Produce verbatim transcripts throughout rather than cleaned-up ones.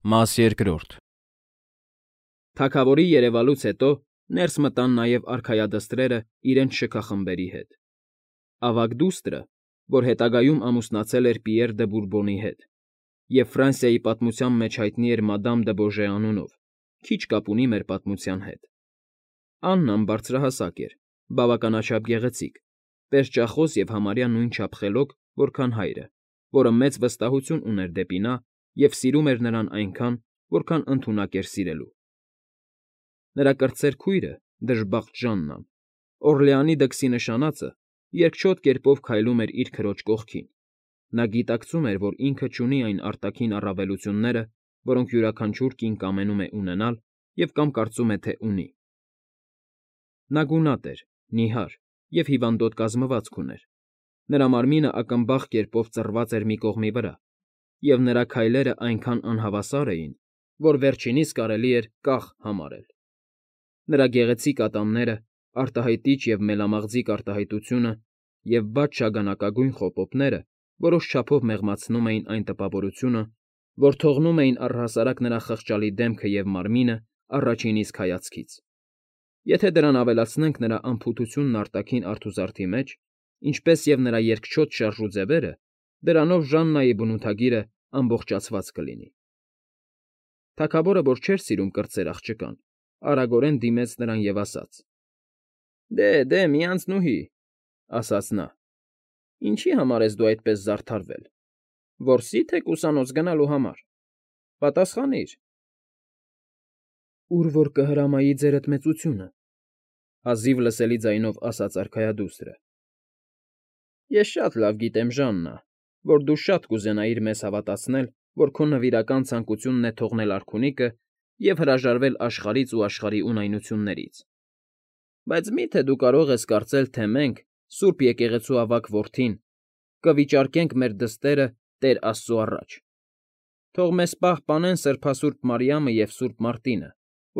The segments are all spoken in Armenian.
Մաս երկրորդ Թագավորի երևալուց հետո ներս մտան նաև արքայադստրերը իրենց շքախմբերի հետ. ավագ դուստրը, որ հետագայում ամուսնացել էր Պիեռ դը Բուրբոնի հետ, և Ֆրանսիայի պատմության մեջ հայտնի էր Մադամ դը Բոժե անունով, քիչ կապ ունի մեր պատմության հետ. Աննան բարձրահասակ էր, բավականաչափ գեղեցիկ, պերճախոս և համարյա նույնչափ խելոք, որքան հայրը, որը մեծ վստահություն ուներ դեպի նա և սիրում էր նրան այնքան, որքան ընդունակ էր սիրելու։ Նրա կրտսեր քույրը՝ դժբախտ Ժաննան, Օռլեանի դքսի նշանածը, երկչոտ կերպով քայլում էր իր քրոջ կողքին. նա գիտակցում էր, որ ինքը չունի այն արտաքին առավելությունները, որոնք յուրաքանչյուր կին կամենում է ունենալ և կամ կարծում է, թե ունի։ Նա գունատ էր, նիհար և հիվանդոտ կազմվածք ուներ, նրա մարմինը ակմբախ կերպով ծռված էր մի կողմի վրա, և նրա քայլերն այնքան անհավասար էին, որ վերջինիս կարելի էր կախ համարել։ Նրա գեղեցիկ ատամները, արտահայտիչ և մելամաղձիկ արտահայտությունը և բաց շագանակագույն խոպոպները որոշ չափով մեղմացնում էին այն տպավորությունը, որ թողնում էին առհասարակ նրա խղճալի դեմքը և մարմինը առաջին իսկ հայացքից։ Եթե դրան ավելացնենք նրա անփութությունն արտաքին արթուզարդի մեջ, ինչպես և նրա երկչոտ շարժուձևերը, դրանով Ժաննայի բնութագիրը ամբողջացված կլինի։ Թագավորը, որ չէր սիրում կրտսեր աղջկան, արագորեն դիմեց նրան և ասաց. Դե, դե, մի անցնուհի, ասաց նա, ինչի՞ համար ես դու այդպես զարդարվել, որսի՞, թե ուսանոց գնալու համար, պատասխանիր։ Ուր որ կհրամայի ձերդ մեծությունը, հազիվ լսելի ձայնով ասաց արքայադուստրը։ Ես շատ լավ գիտեմ, Ժաննա, որ դու շատ կուզենայիր մեզ հավատացնել, որ քո նվիրական ցանկությունն է թողնել արքունիքը և հրաժարվել աշխարհից ու աշխարհի ունայնություններից, բայց մի՞թե դու կարող ես կարծել, թե մենք, սուրբ եկեղեցու ավագ որդին, կվիճարկենք մեր դստերը Տեր Աստծու առաջ։ Թող մեզ պահպանեն սրբասուրբ Մարիամը և սուրբ Մարտինը,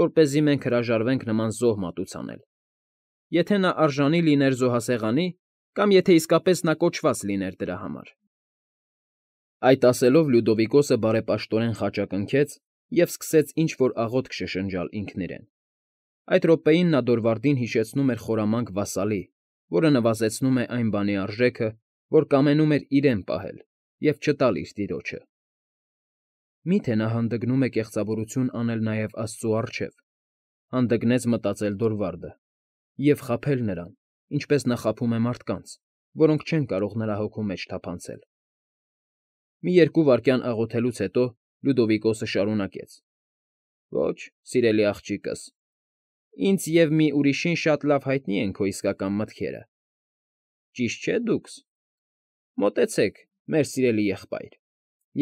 որպեսզի մենք հրաժարվենք նման զոհ մատուցանել, եթե նա արժանի լիներ զոհասեղանի կամ եթե իսկապես նա կոչված լիներ դրա համար։ Այդ ասելով Լյուդովիկոսը բարեպաշտորեն խաչակնքեց և սկսեց ինչ֊որ աղոթք շշնջալ ինքն իրեն։ Այդ րոպեին նա Դորվարդին հիշեցնում էր խորամանկ վասալի, որը նվազեցնում է այն բանի արժեքը, որ կամենում էր իրեն պահել և չտալ իր տիրոջը։ Մի՞թե նա հանդգնում է կեղծավորություն անել նաև Աստծու առջև, հանդգնեց մտածել Դորվարդը, և խաբել նրան, ինչպես նա խաբում է մարդկանց, որոնք չեն կարող նրա հոգու մեջ թափանցել։ Մի երկու վայրկյան աղոթելուց հետո Լյուդովիկոսը շարունակեց. Ոչ, սիրելի աղջիկս, ինձ և մի ուրիշին շատ լավ հայտնի են քո իսկական մտքերը, ճիշտ չէ՞ դուքս։ Մոտեցեք, մեր սիրելի եղբայր,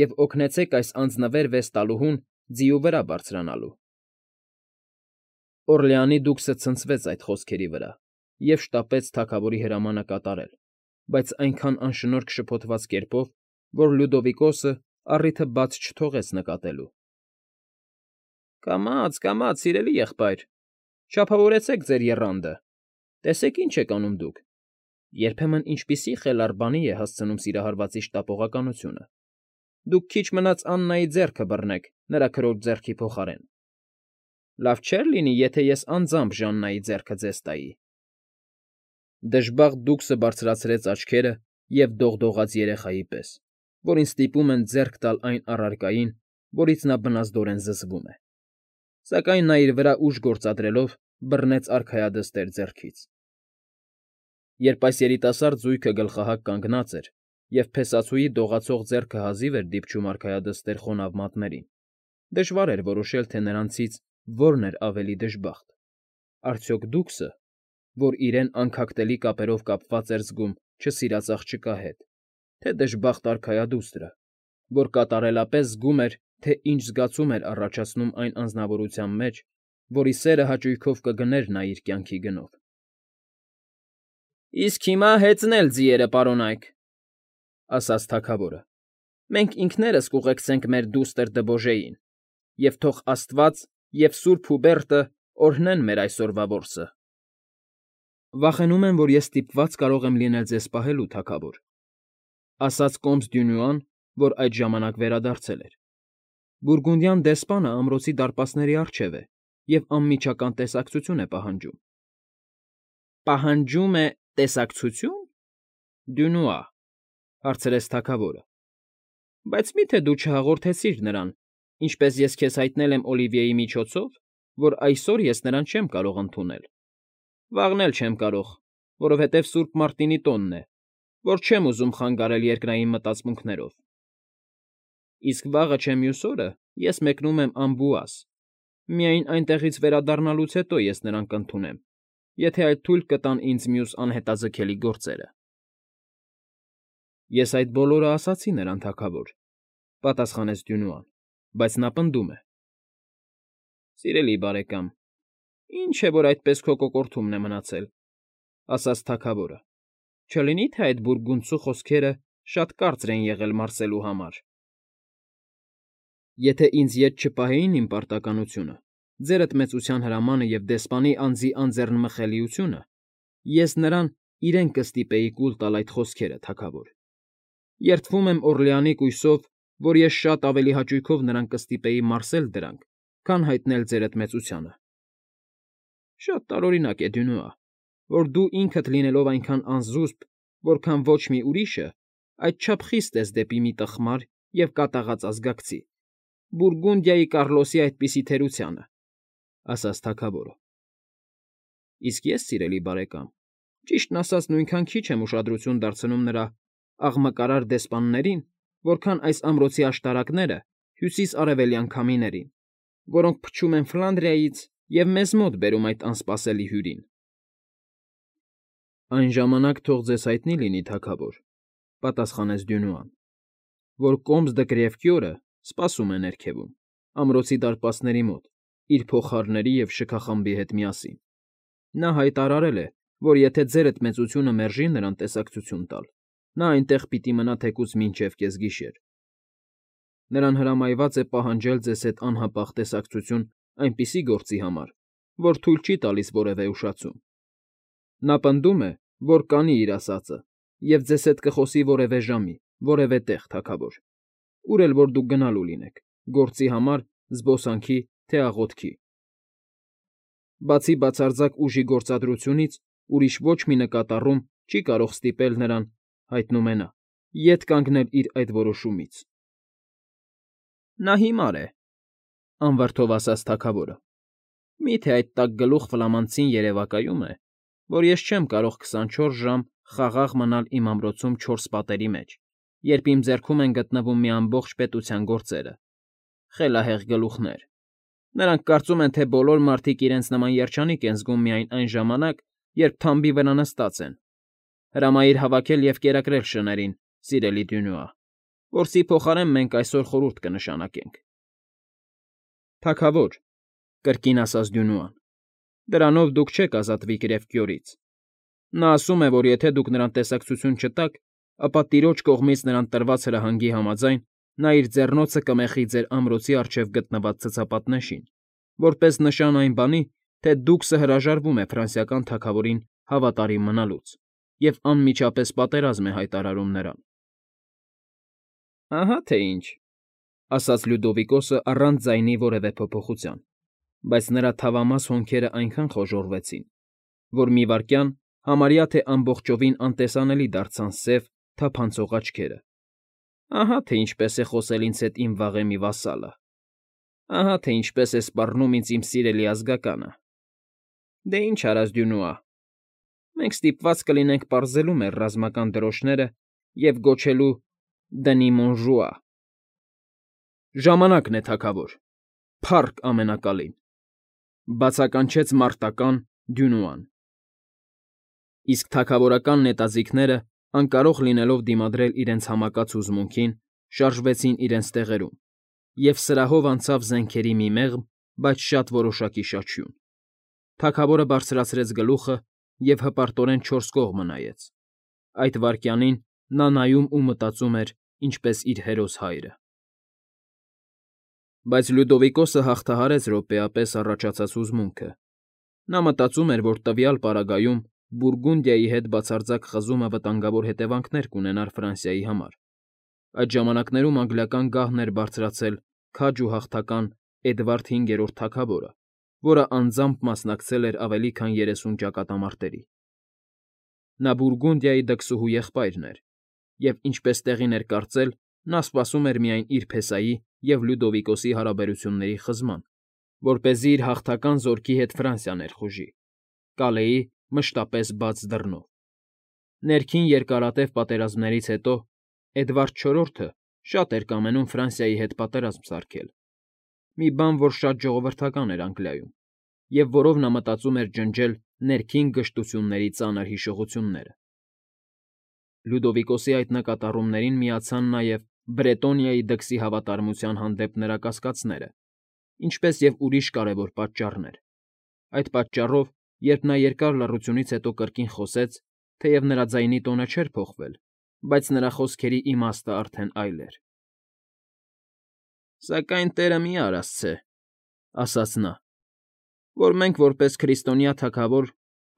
և օգնեցեք այս անձնվեր վեստալուհուն ձիու վրա բարձրանալու։ Օռլեանի դուքսը ցնցվեց այդ խոսքերի վրա և շտապեց թագավորի հրամանը կատարել, բայց այնքան անշնորհք շփոթված կերպով, որ Լյուդովիկոսը առիթը բաց չթողեց նկատելու։ Կամաց, կամաց, սիրելի եղբայր, չափավորեցեք ձեր եռանդը, տեսեք ինչ եք անում դուք, երբեմն ինչպիսի խելառ բանի է հասցնում սիրահարվածի շտապողականությունը։ Դուք քիչ մնաց Աննայի ձեռքը բռնեք նրա քրոջ ձեռքի փոխարեն։ Լավ չէր լինի, եթե ես անձամբ Ժաննայի ձեռքը ձեզ տայի։ Դժբախտ դուքսը բարձրացրեց աչքերը և դողդողաց երեխայի պես, որին ստիպում են ձեռք տալ այն առարկային, որից նա բնազդորեն զզվում է, սակայն նա իր վրա ուժ գործադրելով բռնեց արքայադստեր ձեռքից։ Երբ այս երիտասարդ զույգը գլխահակ կանգնած էր, և փեսացուի դողացող ձեռքը հազիվ էր դիպչում արքայադստեր խոնավ մատներին, դժվար էր որոշել, թե նրանցից որն էր ավելի դժբախտ. արդյոք դուքսը, որ իրեն անքակտելի կապերով կապված էր զգում չսիրած աղջկա հետ, թե դժբախտ արքայադուստրը, որ կատարելապես զգում էր, թե ինչ զգացում էր առաջացնում այն անձնավորության մեջ, որի սերը հաճույքով կգներ նա իր կյանքի գնով։ Իսկ հիմա հեծնել ձիերը, պարոնայք, ասաց թագավորը, մենք ինքներս կուղեկցենք մեր դուստր դը Բոժեին, և թող աստված և սուրբ Հուբերտը օրհնեն մեր այսօրվա որսը։ Վախենում եմ, որ ես ստիպված կարող եմ լինել ձեզ պահելու, թագավոր, ասաց կոմս Դյունուան, որ այդ ժամանակ վերադարձել էր։ Բուրգունդյան դեսպանը ամրոցի դարպասների առջև է և անմիջական տեսակցություն է պահանջում։ ֊ Պահանջում է տեսակցությո՞ւն, Դյունուա,֊ հարցրեց թագավորը։ ֊ Բայց մի՞թե դու չհաղորդեցիր նրան, ինչպես ես քեզ հայտնել եմ Օլիվիեի միջոցով, որ այսօր ես նրան չեմ կարող ընդունել, վաղն էլ չեմ կարող, որովհետև Սուրբ Մարտինի տոնն է, որ չեմ ուզում խանգարել երկնային մտածմունքներով։ Իսկ վաղը չէ մյուս օրը ես մեկնում եմ Ամբուաս, միայն այնտեղից վերադառնալուց հետո ես նրան կընդունեմ, եթե այլ թույլ կտան ինձ մյուս անհետաձգելի գործերը։ ֊ Ես այդ բոլորը ասացի նրան, թագավոր,֊ պատասխանեց Դյունուան,֊ բայց նա պնդում է։ ֊ Սիրելի բարեկամ, ինչ է, որ այդպես քո կոկորդումն է մնացել,֊ ասաց թագավորը,֊ չլինի՞ թե այդ բուրգունդցու խոսքերը շատ կարծր են եղել մարսելու համար։ ֊ Եթե ինձ ետ չպահեին իմ պարտականությունը, ձերդ մեծության հրամանը և դեսպանի անձի անձեռնմխելիությունը, ես նրան իրեն կստիպեի կուլ տալ այդ խոսքերը, թագավոր. երդվում եմ Օռլեանի կույսով, որ ես շատ ավելի հաճույքով նրան կստիպեի մարսել դրանք, քան հայտնել ձերդ մեծությանը։ Շատ տարօրինակ է, Դյունուա, որ դու ինքդ լինելով այնքան անզուսպ, որքան ոչ մի ուրիշը, այդչափ խիստ ես դեպի մի տխմար և կատաղած ազգակցի, Բուրգունդիայի Կառլոսի այդպիսի թերությանը,֊ ասաց թագավորը։ ֊ Իսկ ես, սիրելի բարեկամ, ճիշտն ասած նույնքան քիչ եմ ուշադրություն դարձնում նրա աղմկարար դեսպաններին, որքան այս ամրոցի աշտարակները հյուսիս֊արևելյան քամիներին, որոնք փչում են Ֆլանդրիայից և մեզ մոտ բերում այդ անսպասելի հյուրին։ ֊ Այն ժամանակ թող ձեզ հայտնի լինի, թագավոր,֊ պատասխանեց Դյունուան,֊ որ Կոմս դը Կրևկյորը սպասում է ներքևում, ամրոցի դարպասների մոտ, իր փողահարների և շքախմբի հետ միասին։ Նա հայտարարել է, որ եթե ձերդ մեծությունը մերժի նրան տեսակցություն տալ, նա այնտեղ պիտի մնա թեկուզ մինչև կեսգիշեր։ Նրան հրամայված է պահանջել ձեզ հետ անհապաղ տեսակցություն այնպիսի գործի համար, որ թույլ չի տալիս որևէ ուշացում։ Նա պնդում է, որ կանի իր ասածը և ձեզ հետ կխոսի որևէ ժամի, որևէ տեղ, թագավոր, ուր էլ որ դուք գնալու լինեք՝ գործի համար, զբոսանքի, թե աղոթքի։ Բացի բացարձակ ուժի գործադրությունից ուրիշ ոչ մի նկատառում չի կարող ստիպել նրան, հայտնում է նա, ետ կանգնել իր այդ որոշումից։ ֊ Նա հիմար է,֊ անվրդով ասաց թագավորը,֊ մի՞թե այդ տակգլուխ ֆլամանցին երևակայում է, որ ես չեմ կարող քսանչորս ժամ խաղաղ մնալ իմ ամրոցում չորս պատերի մեջ, երբ իմ ձեռքում են գտնվում մի ամբողջ պետության գործերը։ Խելահեղ գլուխներ… Նրանք կարծում են, թե բոլոր մարդիկ իրենց նման երջանիկ են զգում միայն այն ժամանակ, երբ թամբի վրա նստած են։ Հրամայիր հավաքել և կերակրել շներին, սիրելի Դյունուա, որսի փոխարեն մենք այսօր խորհուրդ կնշանակենք։ ֊ Թագավոր,֊ կրկին ասաց Դյունուան,֊ դրանով դուք չեք ազատվի Կրևկյորից։ Նա ասում է, որ եթե դուք նրան տեսակցություն չտաք, ապա տիրոջ կողմից նրան տրված հրահանգի համաձայն նա իր ձեռնոցը կմեխի ձեր ամրոցի առջև գտնված ցցապատնեշին, որպես նշան այն բանի, թե Դուքսը հրաժարվում է ֆրանսիական թագավորին հավատարիմ մնալուց և անմիջապես պատերազմ է հայտարարում նրան։ ֊ Ահա թե ինչ,֊ ասաց Լյուդովիկոսը առանց ձայնի որևէ փոփոխության, բայց նրա թավամաս հոնքերն այնքան խոժոռվեցին, որ մի վայրկյան համարյա թե ամբողջովին անտեսանելի դարձան սև, թափանցող աչքերը։ ֊ Ահա թե ինչպես է խոսել ինձ հետ իմ վաղեմի վասալը… Ահա թե ինչպես է սպառնում ինձ իմ սիրելի ազգականը… Դե ինչ արած, Դյունուա, մենք ստիպված կլինենք պարզելու մեր ռազմական դրոշները և գոչելու «Դնի մոնժուա»։ ֊ Ժամանակն է, թագավոր, փառք Ամենակալին,֊ բացականչեց մարտական Դյունուան։ Իսկ թագավորական նետաձիգները, անկարող լինելով դիմադրել իրենց համակած հուզմունքին, շարժվեցին իրենց տեղերում, և սրահով անցավ զենքերի մի մեղմ, բայց շատ որոշակի շաչյուն։ Թագավորը բարձրացրեց գլուխը և հպարտորեն չորս կողմը նայեց։ Այդ վայրկյանին նա նայում ու մտածում էր, ինչպես իր հերոս հայրը։ Բայց Լյուդովիկոսը հաղթահարեց րոպեապես առաջացած հուզմունքը։ Նա մտածում էր, որ տվյալ պարագայում Բուրգունդիայի հետ բացարձակ խզումը վտանգավոր հետևանքներ կունենար Ֆրանսիայի համար։ Այդ ժամանակներում անգլիական գահն էր բարձրացել քաջ ու հաղթական Էդվարդ հինգերորդ թագավորը, որը անձամբ մասնակցել էր ավելի քան երեսուն ճակատամարտերի։ Նա Բուրգունդիայի դքսուհու եղբայրն էր, և, ինչպես տեղին էր կարծել, նա սպասում էր միայն իր փեսայի և Լյուդովիկոսի հարաբերությունների խզման, որպեսզի իր հաղթական զորքի հետ Ֆրանսիա ներխուժի՝ Կալեի մշտապես բաց դռնով։ Ներքին երկարատև պատերազմներից հետո Էդվարդ չորրորդը շատ էր կամենում Ֆրանսիայի հետ պատերազմ սարքել, մի բան, որ շատ ժողովրդական էր Անգլիայում, և որով նա մտածում էր ջնջել ներքին գժտությունների ծանր հիշողությունները։ Լյուդովիկոսի այդ նկատառումներին միացան նաև Բրետոնիայի դքսի հավատարմության հանդեպ նրա կասկածները, ինչպես և ուրիշ կարևոր պատճառներ։ Այդ պատճառով, երբ նա երկար լռությունից հետո կրկին խոսեց, թեև նրա ձայնի տոնը չէր փոխվել, բայց նրա խոսքերի իմաստն արդեն այլ էր։ ֊ Սակայն տերը մի արասցե,֊ ասաց նա,֊ որ մենք, որպես քրիստոնյա թագավոր,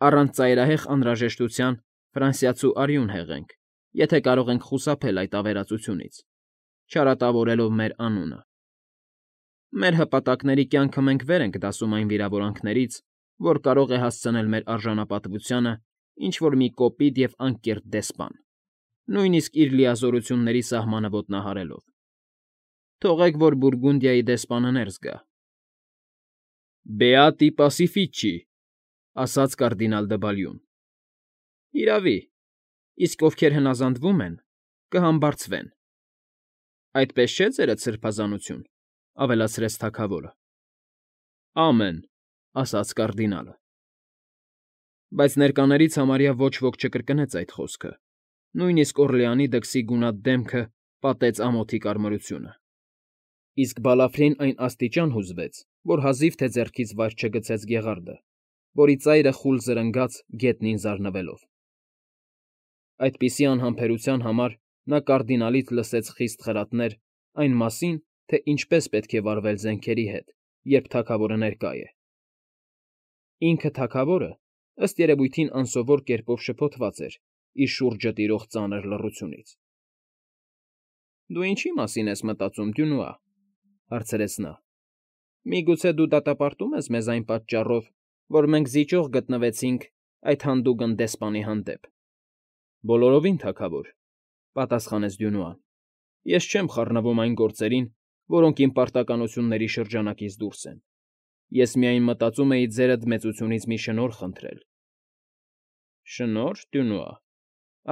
առանց ծայրահեղ անհրաժեշտության ֆրանսիացու արյուն հեղենք, եթե կարող ենք խուսափել այդ ավերածությունից, չարատավորելով մեր անունը։ Մեր հպատակների կյանքը մենք վեր ենք դասում այն վիրավորանքներից, որ կարող է հասցնել մեր արժանապատվությանը ինչ֊որ մի կոպիտ և անկեղծ դեսպան, նույնիսկ իր լիազորությունների սահմանը ոտնահարելով։ Թողեք, որ Բուրգունդիայի դեսպանը ներս գա։ ֊ Բեատի պասիֆիչի,֊ ասաց կարդինալ դը Բալյուն։ ֊ Իրավի, իսկ ովքեր հնազանդվում են, կհամբարձվեն։ ֊ Այդպես չէ՞ ձերդ սրբազանություն,֊ ավելացրեց թագավորը։ ֊ Ամեն,֊ ասաց կարդինալը։ Բայց ներկաներից համարյա ոչ ոք չկրկնեց այդ խոսքը, նույնիսկ Օռլեանի դքսի գունատ դեմքը պատեց ամոթի կարմրությունը։ Իսկ Բալաֆրին այն աստիճան հուզվեց, որ հազիվ թե ձեռքից վայր չգցեց գեղարդը, որի ծայրը խուլ զրնգաց գետնին զարնվելով։ Այդպիսի անհամբերության համար նա կարդինալից լսեց խիստ խրատներ այն մասին, թե ինչպես պետք է վարվել զենքերի հետ, երբ թագավորը ներկա է։ Ինքը թագավորը, ըստ երևույթին, անսովոր կերպով շփոթված էր իր շուրջը տիրող ծանր լռությունից։ ֊ Դու ինչի՞ մասին ես մտածում, Դյունուա,֊ հարցրեց նա։ Միգուցե դու դատապարտում ես մեզ այն պատճառով, որ մենք զիջող գտնվեցինք այդ հանդուգն դեսպանի հանդեպ։ ֊ Բոլորովին, թագավոր,֊ պատասխանեց Դյունուան։ Ես չեմ խառնվում այն գործերին, որոնք իմ պարտականությունների շրջանակից դուրս են։ Ես միայն մտածում էի ձերդ մեծությունից մի շնորհ խնդրել։ ֊ Շնո՞րհ, Դյունուա,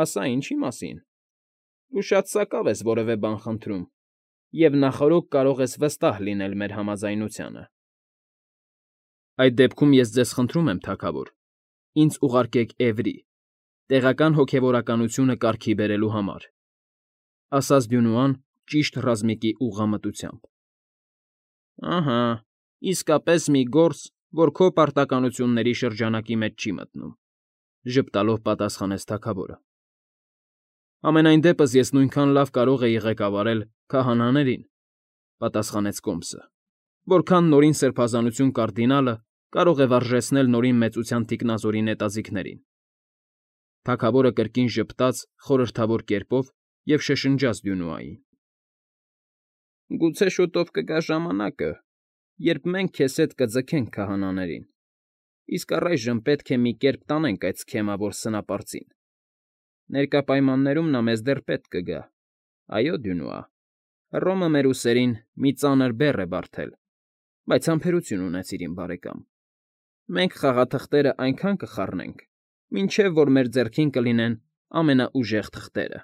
ասա ինչի մասին։ Դու շատ սակավ ես որևէ բան խնդրում, և նախօրոք կարող ես վստահ լինել մեր համաձայնությանը։ ֊ Այդ դեպքում ես ձեզ խնդրում եմ, թագավոր, ինձ ուղարկեք Էվրի, տեղական հոգևորականությունը կարգի բերելու համար,֊ ասաց Դյունուան ճիշտ ռազմիկի ուղղամտությամբ։ ֊ Ահա, իսկապես մի գործ, որ քո պարտականությունների շրջանակի մեջ չի մտնում,֊ ժպտալով պատասխանեց թագավորը։ ֊ Համենայն դեպս ես նույնքան լավ կարող էի ղեկավարել քահանաներին,֊ պատասխանեց կոմսը,֊ որքան նորին սրբազանություն կարդինալը կարող է վարժեցնել նորին մեծության թիկնազորի նետաձիգներին։ Թագավորը կրկին ժպտաց խորհրդավոր կերպով և շշնջաց Դյունուային. ֊ Գուցե շուտով կգա ժամանակը, երբ մենք քեզ հետ կձգենք քահանաներին, իսկ առայժմ պետք է մի կերպ տանենք այդ սքեմավոր սնապարծին։ Ներկա պայմաններում նա մեզ դեռ պետք կգա։ Այո, Դյունուա, Հռոմը մեր ուսերին մի ծանր բեռ է բարդել, բայց համբերություն ունեցիր, իմ բարեկամ, մենք խաղաթղթերը այնքան կխառնենք, մինչև որ մեր ձեռքին կլինեն ամենաուժեղ թղթերը։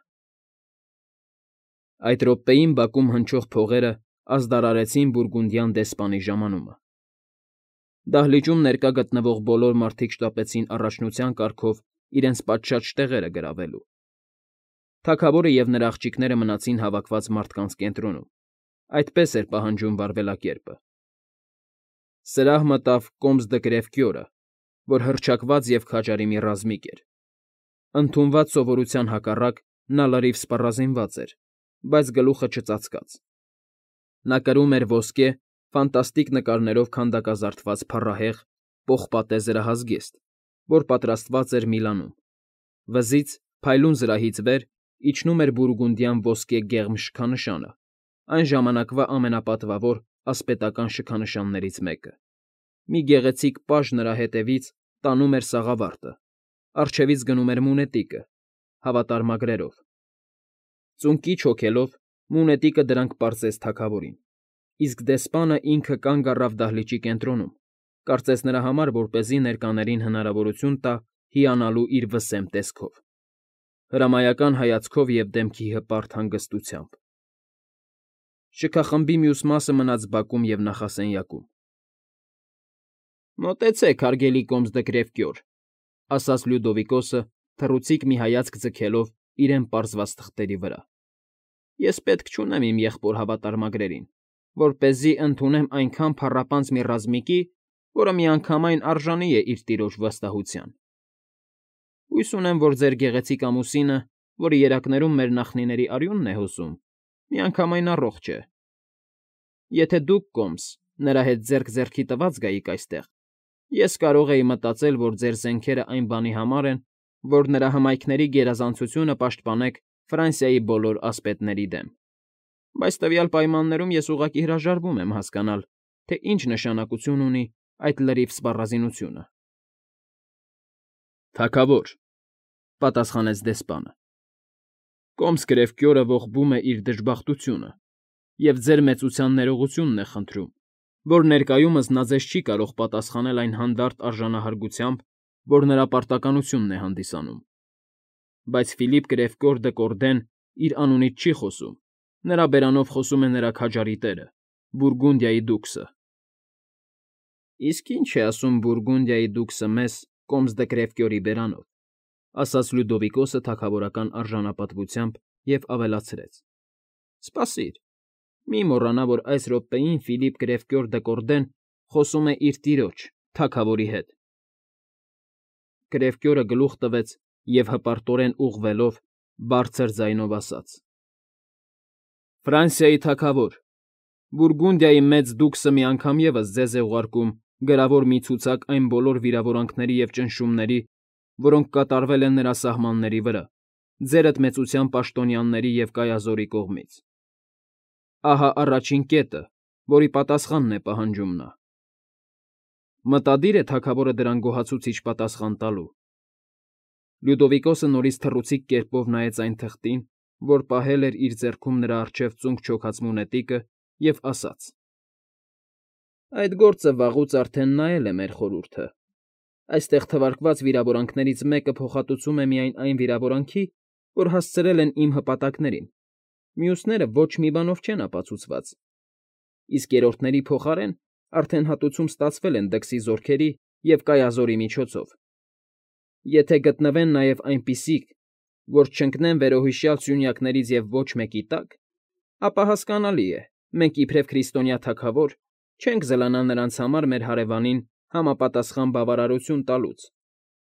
Այդ րոպեին բակում հնչող փողերը ազդարարեցին բուրգունդյան դեսպանի ժամանումը։ Դահլիճում ներկա գտնվող բոլոր մարդիկ շտապեցին առաջնության կարգով իրենց պատշաճ տեղերը գրավելու։ Թագավորը և նրա աղջիկները մնացին հավաքված մարդկանց կենտրոնում, այդպես էր պահանջում վարվելակերպը։ Սրահ մտավ կոմս դը Կրևկյորը, որ հռչակված և քաջարի մի ռազմիկ էր։ Ընդունված սովորության հակառակ նա լրիվ սպառազինված էր, բայց գլուխը չծածկած։ Նա կրում էր ոսկե, ֆանտաստիկ նկարներով քանդակազարդված փառահեղ, պողպատե զրահազգեստ, որ պատրաստված էր Միլանում։ Վզից, փայլուն զրահից վեր իջնում էր բուրգունդյան ոսկե գեղմ շքանշանը, այն ժամանակվա ամենապատվավոր ասպետական շքանշաններից մեկը։ Մի գեղեցիկ պաժ նրա հետևից տանում էր սաղավարտը, առջևից գնում էր մունետիկը, հավատարմագրերով։ Ծունկի չոքելով մունետիկը դրանք պարզեց թագավորին, իսկ դեսպանը ինքը կանգ առավ դահլիճի կենտրոնում, կարծես նրա համար, որպեսզի ներկաներին հնարավորություն տա հիանալու իր վսեմ տեսքով, հրամայական հայացքով և դեմքի հպարտ հանգստությամբ։ Շքախմբի մյուս մասը մնաց բակում և նախասենյակում։ ֊ Մոտեցեք, հարգելի կոմս դկրեվկյոր,֊ ասաց Լյուդովիկոսը, թռուցիկ մի հայացք ձգելով իրեն պարզված թղթերի վրա։֊ Ես պետք չունեմ իմ եղբոր հավատարմագրերին, որպեսզի ընդունեմ այնքան փառապանծ մի ռազմիկի, որը միանգամայն արժանի է իր տիրոջ վստահության։ Հույս ունեմ, որ ձեր գեղեցիկ ամուսինը, որի երակներում մեր նախնիների արյունն է հոսում, միանգամայն առողջ է։ Եթե դուք, կոմս, նրա հետ ձեռք ձեռքի տված գայիք այստեղ, ես կարող էի մտածել, որ ձեր զենքերը այն բանի համար են, որ նրա հմայքների գերազանցությունը պաշտպանեք Ֆրանսիայի բոլոր ասպետների դեմ։ Բայց տվյալ պայմաններում ես ուղղակի հրաժարվում եմ հասկանալ, թե ինչ նշանակություն ունի այդ լրիվ սպառազինությունը։ ֊ Թագավոր,֊ պատասխանեց դեսպանը,֊ կոմս Կրևկյորը ողբում է իր դժբախտությունը և ձեր մեծության ներողությունն է խնդրում, որ ներկայումս նա ձեզ չի կարող պատասխանել այն հանդարտ արժանահարգությամբ, որ նրա պարտականությունն է հանդիսանում։ Բայց Ֆիլիպ Կրևկյոր դը Կորդեն իր անունից չի խոսում, նրա բերանով խոսում է նրա քաջարի տերը՝ Բուրգունդիայի դուքսը։ ֊ Իսկ ի՞նչ է ասում Բուրգունդիայի դուքսը մեզ, կոմս Դկրևկյորի բերանով,֊ ասաց Լյուդովիկոսը թագավորական արժանապատվությամբ և ավելացրեց,֊ Սպասիր, մի մոռանա, որ այս րոպեին Ֆիլիպ Կրևկյոր դը Կորդեն խոսում է իր տիրոջ՝ թագավորի հետ։ Կրևկյորը գլուխ տվեց և հպարտորեն ուղղվելով բարձր ձայնով ասաց. «Ֆրանսիայի թագավոր, Բուրգունդիայի մեծ դուքսը մի անգամ ևս ձեզ է ուղարկում գրավոր մի ցուցակ այն բոլոր վիրավորանքների և ճնշումների, որոնք կատարվել են նրա սահմանների վրա, ձերդ մեծության պաշտոնյաների և կայազորի կողմից։ Ահա առաջին կետը, որի պատասխանն է պահանջում նա։ Մտադի՞ր է թագավորը դրան գոհացուցիչ պատասխան տալու»։ Լյուդովիկոսը նորից թռուցիկ կերպով նայեց այն թղթին, որ պահել էր իր ձեռքում նրա առջև ծունկ չոքած մունետիկը, և ասաց. «Այդ գործը վաղուց արդեն նայել է մեր խորհուրդը։ Այստեղ թվարկված վիրավորանքներից մեկը փոխհատուցում է միայն այն վիրավորանքի, որ հասցրել են իմ հպատակներին, մյուսները ոչ մի բանով չեն ապացուցված, իսկ երրորդների փոխարեն արդեն հատուցում ստացվել են դքսի զորքերի և կայազորի միջոցով։ Եթե գտնվեն նաև այնպիսիք, որ չընկնեն վերոհիշյալ սյունյակներից և ոչ մեկի տակ, ապա, հասկանալի է, մենք իբրև քրիստոնյա թագավոր չենք զլանա նրանց համար մեր հարևանին համապատասխան բավարարություն տալուց,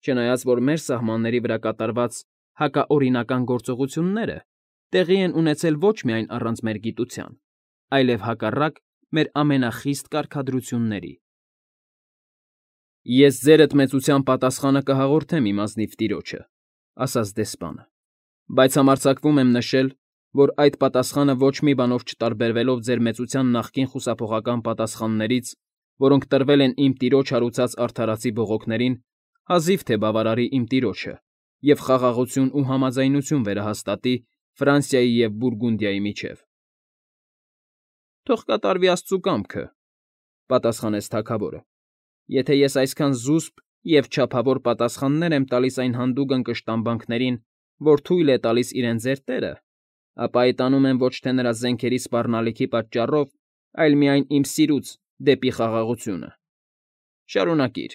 չնայած որ մեր սահմանների վրա կատարված հակաօրինական գործողությունները տեղի են ունեցել ոչ միայն առանց մեր գիտության, այլև հակառակ մեր ամենախիստ կարգադրությունների»։ ֊ Ես ձերդ մեծության պատասխանը կհաղորդեմ իմ ազնիվ տիրոջը,֊ ասաց դեսպանը,֊ բայց համարձակվում եմ նշել, որ այդ պատասխանը ոչ մի բանով չտարբերվելով ձեր մեծության նախկին խուսափողական պատասխաններից, որոնք տրվել են իմ տիրոջ հարուցած արդարացի բողոքներին, հազիվ թե բավարարի իմ տիրոջը և խաղաղություն ու համաձայնություն վերահաստատի Ֆրանսիայի և Բուրգունդիայի միջև։ ֊ Թող կատարվի աստծու կամքը,֊ պատասխանեց թագավորը,֊ եթե ես այսքան զուսպ և չափավոր պատասխաններ եմ տալիս այն հանդուգն կշտամբանքներին, որ թույլ է տալիս իրենց ձեր տերը, ապա այդ անում եմ ոչ թե նրա զենքերի սպառնալիքի պատճառով, այլ միայն իմ սիրուց դեպի խաղաղությունը։ Շարունակիր։